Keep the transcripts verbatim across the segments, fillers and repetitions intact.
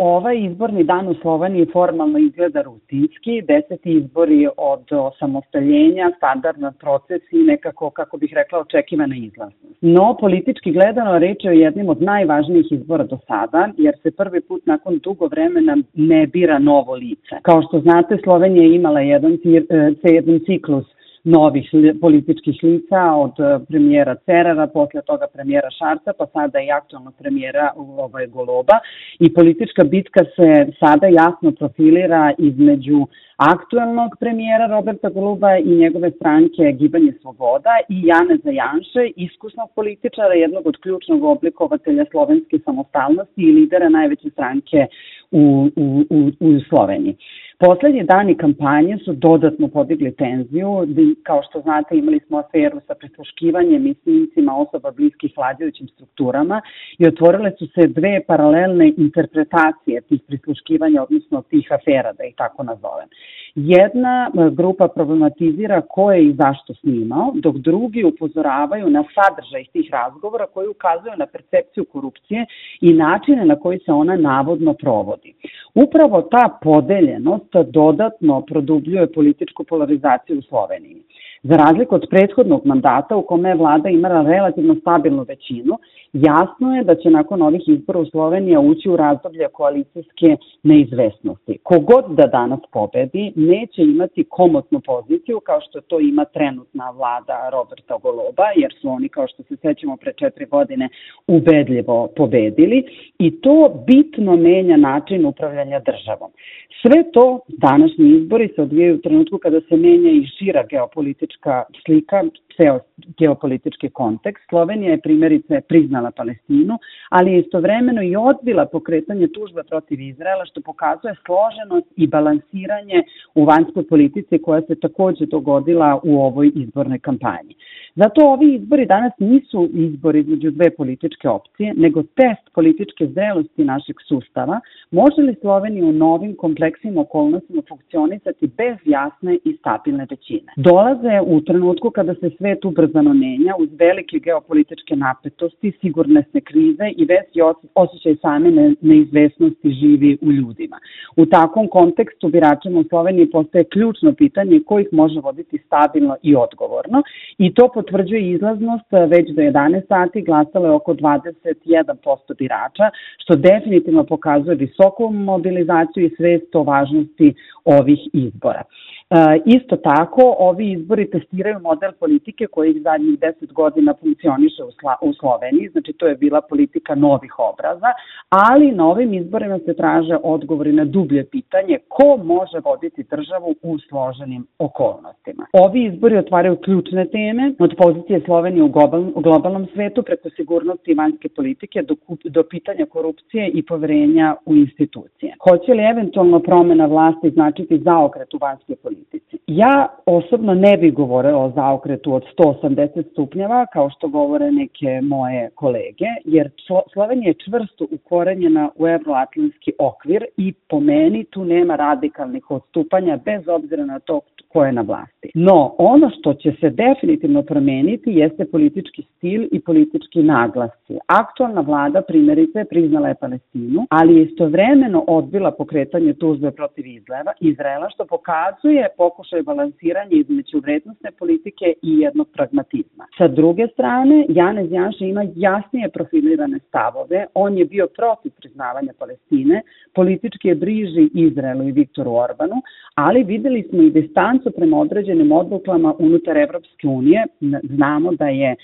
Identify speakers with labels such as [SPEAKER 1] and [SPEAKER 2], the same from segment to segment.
[SPEAKER 1] Ovaj izborni dan u Sloveniji formalno izgleda rutinski, deseti izbori od osamostaljenja, standardan proces i nekako, kako bih rekla, očekivana izlaznost. No, politički gledano, reč je o jednim od najvažnijih izbora do sada, jer se prvi put nakon dugo vremena ne bira novo lice. Kao što znate, Slovenija je imala jedan, jedan ciklus novih političkih lica, od premijera Cerara, posle toga premijera Šarca, pa sada i aktualnog premijera ovaj, Goloba. I politička bitka se sada jasno profilira između aktuelnog premijera Roberta Goloba i njegove stranke Gibanje Sloboda i Janeza Janše, iskusnog političara, jednog od ključnog oblikovatelja slovenske samostalnosti i lidera najveće stranke u, u, u, u Sloveniji. Poslednji dani kampanje su dodatno podigli tenziju. Kao što znate, imali smo aferu sa prisluškivanjem i snimcima osoba bliskih vladajućim strukturama i otvorile su se dve paralelne interpretacije tih prisluškivanja, odnosno tih afera, da ih tako nazovem. Jedna grupa problematizira ko je i zašto snimao, dok drugi upozoravaju na sadržaj tih razgovora koji ukazuju na percepciju korupcije i načine na koji se ona navodno provodi. Upravo ta podeljenost dodatno produbljuje političku polarizaciju u Sloveniji. Za razliku od prethodnog mandata u kome je vlada imala relativno stabilnu većinu, jasno je da će nakon ovih izbora u Slovenija ući u razdoblje koalicijske neizvesnosti. Kogod da danas pobedi, neće imati komotnu poziciju kao što to ima trenutna vlada Roberta Goloba, jer su oni, kao što se sećamo, pre četiri godine ubedljivo pobedili i to bitno menja način upravljanja državom. Sve to, današnji izbori se odvijaju u trenutku kada se menja i šira geopolitička slika, ceo geopolitički kontekst. Slovenija je primjerice priznala Palestinu, ali je istovremeno i odbila pokretanje tužbe protiv Izraela, što pokazuje složenost i balansiranje u vanjskoj politici koja se takođe dogodila u ovoj izbornoj kampanji. Zato ovi izbori danas nisu izbori između dve političke opcije, nego test političke zrelosti našeg sustava. Može li Slovenija u novim kompleksnim okolnostima funkcionisati bez jasne i stabilne većine? Dolaze u trenutku kada se svet ubrzano menja, uz velike geopolitičke napetosti, sigurnosne krize i veći osjećaj same neizvesnosti živi u ljudima. U takvom kontekstu biračima u Sloveniji postaje ključno pitanje ko ih može voditi stabilno i odgovorno i to potvrđuje izlaznost. Već do jedanaest sati glasalo je oko dvadeset jedan posto birača, što definitivno pokazuje visoku mobilizaciju i svest o važnosti ovih izbora. E, isto tako, ovi izbori testiraju model politike koji zadnjih deset godina funkcioniše u, Sla, u Sloveniji, znači to je bila politika novih obraza, ali na ovim izborima se traže odgovori na dublje pitanje ko može voditi državu u složenim okolnostima. Ovi izbori otvaraju ključne teme od pozicije Slovenije u, global, u globalnom svetu preko sigurnosti i vanjske politike do, do pitanja korupcije i poverenja u institucije. Hoće li eventualno promena vlasti značiti zaokret u vanjskoj politici? Ja osobno ne bih govorila o zaokretu od sto osamdeset stupnjeva, kao što govore neke moje kolege, jer Slovenija je čvrsto ukorenjena u evroatlantski okvir i po meni tu nema radikalnih odstupanja bez obzira na to ko je na vlasti. No, ono što će se definitivno promeniti jeste politički stil i politički naglasci. Aktualna vlada, primjerice, priznala je Palestinu, ali je istovremeno odbila pokretanje tužbe protiv Izraela, što pokazuje pokušaj balansiranja između vrednostne politike i jednog pragmatizma. Sa druge strane, Janez Janša ima jasnije profilirane stavove. On je bio protiv priznavanja Palestine, politički je bliži Izraelu i Viktoru Orbanu, ali videli smo i distancu prema određenim odlukama unutar Evropske unije. Znamo da je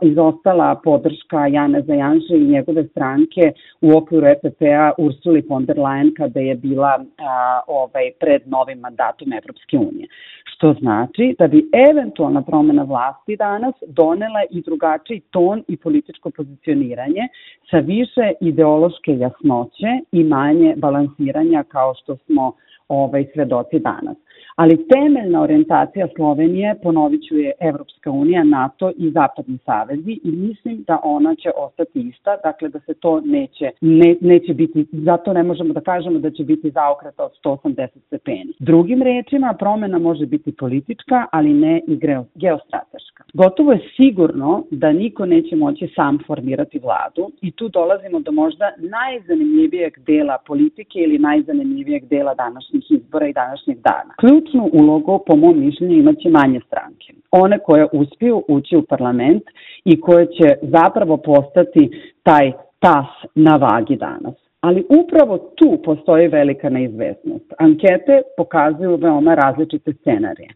[SPEAKER 1] izostala podrška Janeza Janše i njegove stranke u okviru E P P-a Ursuli von der Leyen kada je bila a, ovaj, pred novim mandatom Evropske unije. Što znači da bi eventualna promena vlasti danas donela i drugačiji ton i političko pozicioniranje sa više ideološke jasnoće i manje balansiranja kao što smo ovaj, svedoci danas. Ali temeljna orijentacija Slovenije, ponovit ću, je Evropska unija, NATO i Zapadni savezi i mislim da ona će ostati ista, dakle da se to neće, ne, neće biti, zato ne možemo da kažemo da će biti zaokreta od sto osamdeset stepeni. Drugim rečima, promena može biti politička, ali ne i geostrateška. Gotovo je sigurno da niko neće moći sam formirati vladu i tu dolazimo do možda najzanimljivijeg dela politike ili najzanimljivijeg dela današnjih izbora i današnjeg dana. Ključnu ulogu, po mom mišljenju, imaće manje stranke. One koje uspiju ući u parlament i koje će zapravo postati taj tas na vagi danas. Ali upravo tu postoji velika neizvesnost. Ankete pokazuju veoma različite scenarije.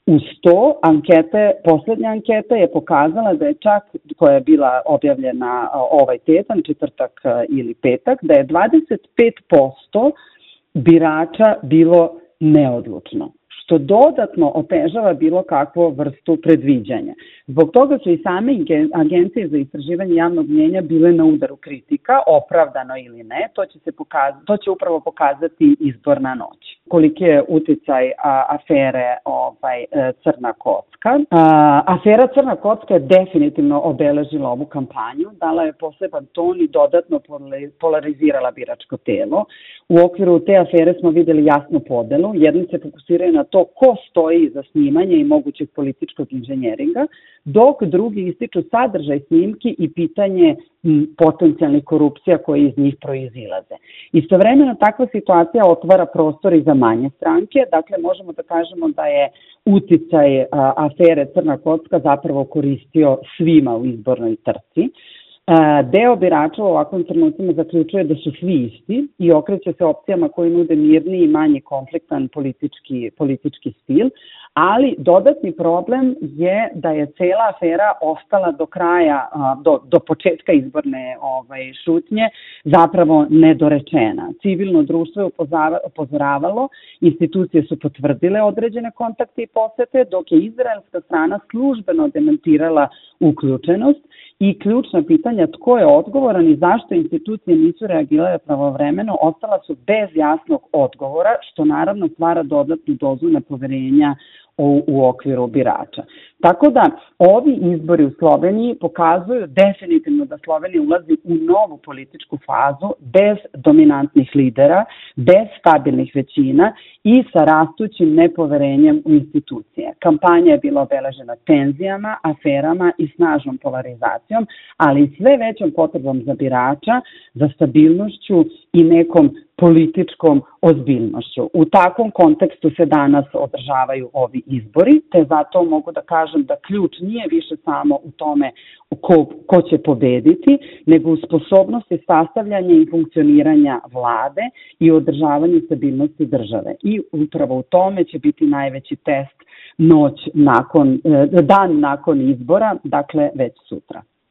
[SPEAKER 1] Uz to, ankete, poslednja anketa je pokazala da je čak, koja je bila objavljena ovaj tjedan, četvrtak ili petak, da je dvadeset pet posto birača bilo neodlučno, što dodatno otežava bilo kakvu vrstu predviđanja. Zbog toga su i same agencije za istraživanje javnog mnjenja bile na udaru kritika, opravdano ili ne, to će, se pokazati, to će upravo pokazati izborna noć. Koliki je uticaj a, afere ovaj, Crna kocka. A, afera Crna kocka je definitivno obeležila ovu kampanju, dala je poseban ton i dodatno polarizirala biračko telo. U okviru te afere smo videli jasnu podelu. Jedni se fokusiraju na to ko stoji za snimanje i mogućeg političkog inženjeringa, dok drugi ističu sadržaj snimki i pitanje m, potencijalnih korupcija koje iz njih proizilaze. Istovremeno takva situacija otvara prostor i za manje stranke, dakle možemo da kažemo da je uticaj a, afere Crna kocka zapravo koristio svima u izbornoj trci. Deo birača u ovakvim trenucima zaključuje da su svi isti i okreće se opcijama koji nude mirni i manje konfliktan politički, politički stil, ali dodatni problem je da je cela afera ostala do kraja, do, do početka izborne ovaj, šutnje zapravo nedorečena. Civilno društvo je upozoravalo, institucije su potvrdile određene kontakte i posete, dok je izraelska strana službeno demantirala uključenost i ključna pitanja tko je odgovoran i zašto institucije nisu reagirale pravovremeno ostala su bez jasnog odgovora, što naravno stvara dodatnu dozu nepoverenja u, u okviru birača. Tako da ovi izbori u Sloveniji pokazuju definitivno da Slovenija ulazi u novu političku fazu bez dominantnih lidera, bez stabilnih većina i sa rastućim nepoverenjem u institucije. Kampanja je bila obeležena tenzijama, aferama i snažnom polarizacijom, ali i sve većom potrebom za birača, za stabilnošću i nekom političkom ozbiljnošću. U takvom kontekstu se danas održavaju ovi izbori, te zato mogu da kažem da ključ nije više samo u tome ko, ko će pobediti, nego u sposobnosti sastavljanja i funkcioniranja vlade i održavanja stabilnosti države. I upravo u tome će biti najveći test noć nakon, dan nakon izbora, dakle već sutra.